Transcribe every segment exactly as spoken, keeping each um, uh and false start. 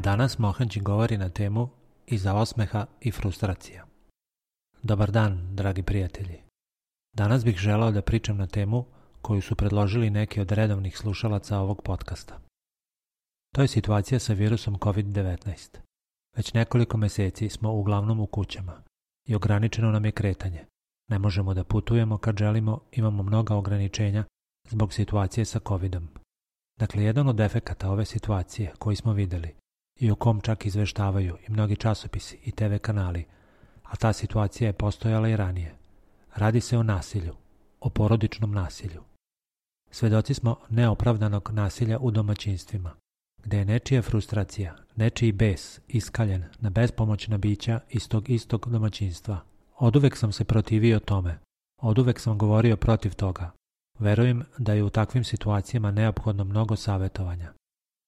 Danas Mohanđi govori na temu iza osmeha i frustracija. Dobar dan, dragi prijatelji. Danas bih želeo da pričam na temu koju su predložili neki od redovnih slušalaca ovog podcasta. To je situacija sa virusom kovid devetnaest. Već nekoliko meseci smo uglavnom u kućama i ograničeno nam je kretanje. Ne možemo da putujemo kad želimo, imamo mnoga ograničenja zbog situacije sa covidom. Dakle, jedan od efekata ove situacije koji smo videli i o kom čak izveštavaju i mnogi časopisi i te ve kanali, a ta situacija je postojala i ranije. Radi se o nasilju, o porodičnom nasilju. Svedoci smo neopravdanog nasilja u domaćinstvima, gde je nečija frustracija, nečiji bes iskaljen na bespomoćna bića iz tog istog domaćinstva. Oduvek sam se protivio tome, oduvek sam govorio protiv toga. Verujem da je u takvim situacijama neophodno mnogo savjetovanja.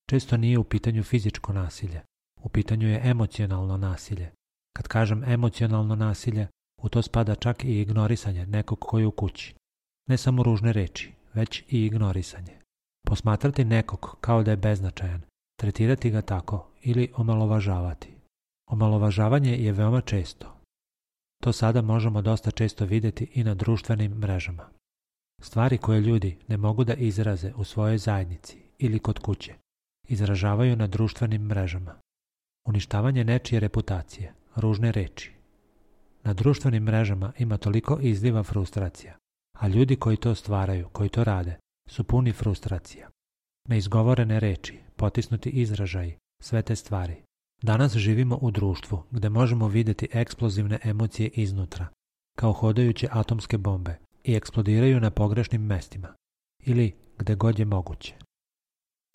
Često nije u pitanju fizičko nasilje, u pitanju je emocionalno nasilje. Kad kažem emocionalno nasilje, u to spada čak i ignorisanje nekog koji je u kući. Ne samo ružne reči, već i ignorisanje. Posmatrati nekog kao da je beznačajan, tretirati ga tako ili omalovažavati. Omalovažavanje je veoma često. To sada možemo dosta često vidjeti i na društvenim mrežama. Stvari koje ljudi ne mogu da izraze u svojoj zajednici ili kod kuće, izražavaju na društvenim mrežama. Uništavanje nečije reputacije, ružne reči. Na društvenim mrežama ima toliko izliva frustracija, a ljudi koji to stvaraju, koji to rade, su puni frustracija. Neizgovorene reči, potisnuti izražaji, sve te stvari. Danas živimo u društvu gde možemo vidjeti eksplozivne emocije iznutra, kao hodajuće atomske bombe, i eksplodiraju na pogrešnim mestima, ili gde god je moguće.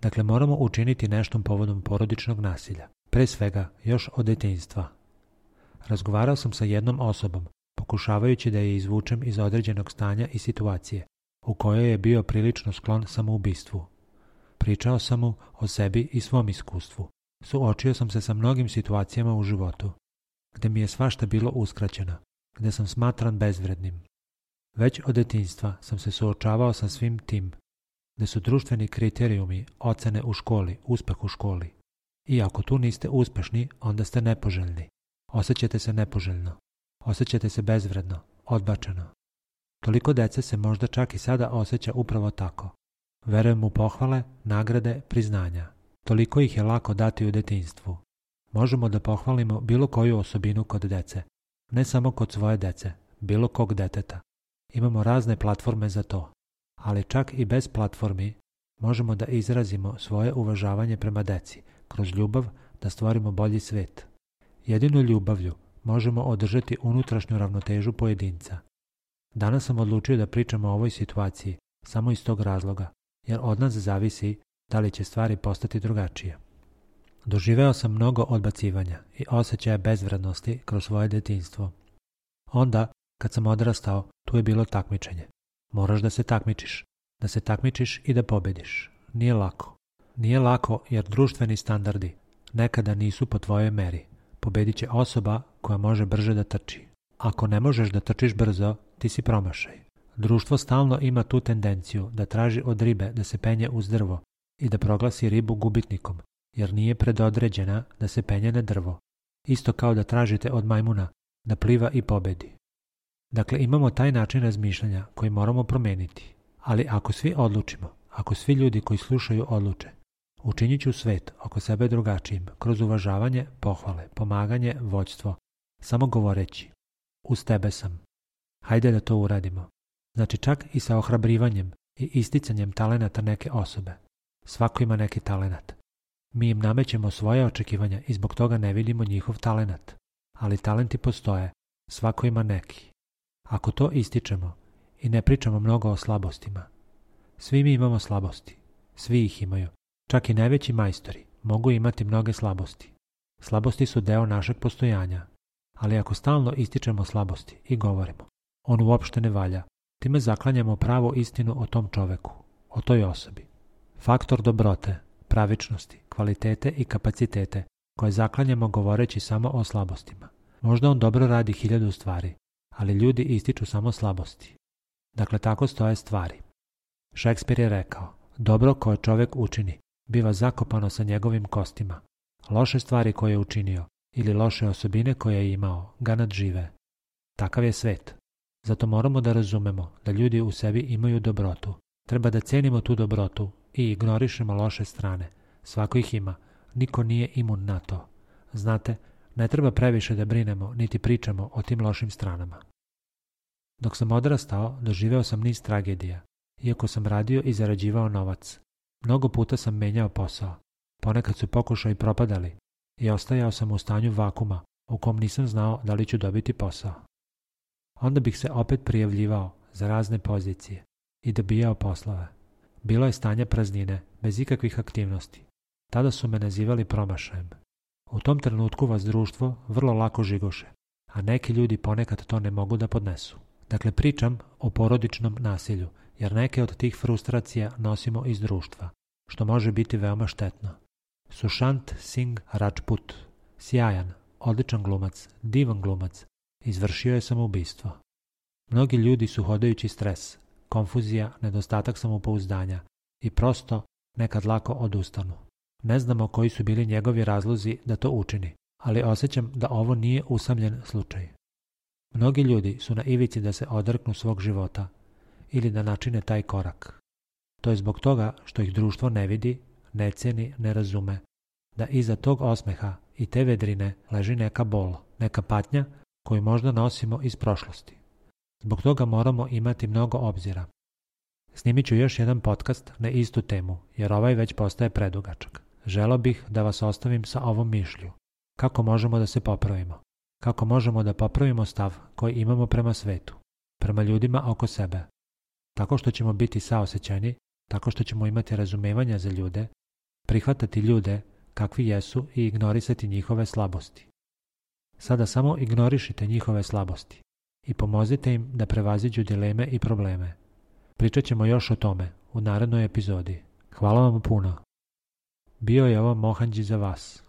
Dakle, moramo učiniti nešto povodom porodičnog nasilja, pre svega još od detinjstva. Razgovarao sam sa jednom osobom, pokušavajući da je izvučem iz određenog stanja i situacije, u kojoj je bio prilično sklon samoubistvu. Pričao sam mu o sebi i svom iskustvu. Suočio sam se sa mnogim situacijama u životu, gde mi je svašta bilo uskraćeno, gde sam smatran bezvrednim. Već od detinjstva sam se suočavao sa svim tim, gde su društveni kriterijumi, ocene u školi, uspeh u školi. I ako tu niste uspešni, onda ste nepoželjni. Osjećate se nepoželjno. Osjećate se bezvredno, odbačeno. Toliko dece se možda čak i sada osjeća upravo tako. Verujem u pohvale, nagrade, priznanja. Toliko ih je lako dati u detinjstvu. Možemo da pohvalimo bilo koju osobinu kod dece. Ne samo kod svoje dece, bilo kog deteta. Imamo razne platforme za to. Ali čak i bez platformi možemo da izrazimo svoje uvažavanje prema deci, kroz ljubav da stvorimo bolji svet. Jedino ljubavlju možemo održati unutrašnju ravnotežu pojedinca. Danas sam odlučio da pričam o ovoj situaciji samo iz tog razloga, jer od nas zavisi da li će stvari postati drugačije. Doživeo sam mnogo odbacivanja i osjećaja bezvrednosti kroz svoje detinjstvo. Onda, kad sam odrastao, tu je bilo takmičenje. Moraš da se takmičiš, da se takmičiš i da pobediš. Nije lako. Nije lako jer društveni standardi nekada nisu po tvojoj meri. Pobedit će osoba koja može brže da trči. Ako ne možeš da trčiš brzo, ti si promašaj. Društvo stalno ima tu tendenciju da traži od ribe da se penje uz drvo i da proglasi ribu gubitnikom, jer nije predodređena da se penje na drvo. Isto kao da tražite od majmuna da pliva i pobedi. Dakle, imamo taj način razmišljanja koji moramo promeniti. Ali ako svi odlučimo, ako svi ljudi koji slušaju odluče, učinit ću svet oko sebe drugačijim, kroz uvažavanje, pohvale, pomaganje, vođstvo, samo govoreći, uz tebe sam. Hajde da to uradimo. Znači čak i sa ohrabrivanjem i isticanjem talenata neke osobe. Svako ima neki talenat. Mi im namećemo svoje očekivanja i zbog toga ne vidimo njihov talenat. Ali talenti postoje, svako ima neki. Ako to ističemo i ne pričamo mnogo o slabostima, svi mi imamo slabosti, svi ih imaju, čak i najveći majstori mogu imati mnoge slabosti. Slabosti su deo našeg postojanja, ali ako stalno ističemo slabosti i govorimo, on uopšte ne valja, time zaklanjamo pravu istinu o tom čoveku, o toj osobi. Faktor dobrote, pravičnosti, kvalitete i kapacitete koje zaklanjamo govoreći samo o slabostima. Možda on dobro radi hiljadu stvari, ali ljudi ističu samo slabosti. Dakle, tako stoje stvari. Šekspir je rekao, dobro koje čovjek učini, biva zakopano sa njegovim kostima, Loše stvari koje je učinio ili loše osobine koje je imao ga nadžive. Takav je svet. Zato moramo da razumemo da ljudi u sebi imaju dobrotu. Treba da cenimo tu dobrotu i ignorišemo loše strane. Svako ih ima. Niko nije imun na to. Znate, ne treba previše da brinemo niti pričamo o tim lošim stranama. Dok sam odrastao, doživeo sam niz tragedija. Iako sam radio i zarađivao novac. Mnogo puta sam menjao posao. Ponekad su pokušaji propadali i ostajao sam u stanju vakuma u kom nisam znao da li ću dobiti posao. Onda bih se opet prijavljivao za razne pozicije i dobijao poslove. Bilo je stanje praznine, bez ikakvih aktivnosti. Tada su me nazivali promašajem. U tom trenutku vas društvo vrlo lako žigoše, a neki ljudi ponekad to ne mogu da podnesu. Dakle, pričam o porodičnom nasilju, jer neke od tih frustracija nosimo iz društva, što može biti veoma štetno. Sushant Singh Rajput, sjajan, odličan glumac, divan glumac, izvršio je samoubistvo. Mnogi ljudi su hodajući stres, konfuzija, nedostatak samopouzdanja i prosto nekad lako odustanu. Ne znamo koji su bili njegovi razlozi da to učini, ali osjećam da ovo nije usamljen slučaj. Mnogi ljudi su na ivici da se odreknu svog života ili da načine taj korak. To je zbog toga što ih društvo ne vidi, ne ceni, ne razume, da iza tog osmeha i te vedrine leži neka bol, neka patnja koju možda nosimo iz prošlosti. Zbog toga moramo imati mnogo obzira. Snimit ću još jedan podcast na istu temu, jer ovaj već postaje predugačak. Želeo bih da vas ostavim sa ovom mišlju. Kako možemo da se popravimo? Kako možemo da popravimo stav koji imamo prema svetu, prema ljudima oko sebe? Tako što ćemo biti saosećajni, tako što ćemo imati razumevanja za ljude, prihvatati ljude kakvi jesu i ignorisati njihove slabosti. Sada samo ignorišite njihove slabosti i pomozite im da prevaziđu dileme i probleme. Pričat ćemo još o tome u narednoj epizodi. Hvala vam puno. Bio je ovo Mohanđi za vas.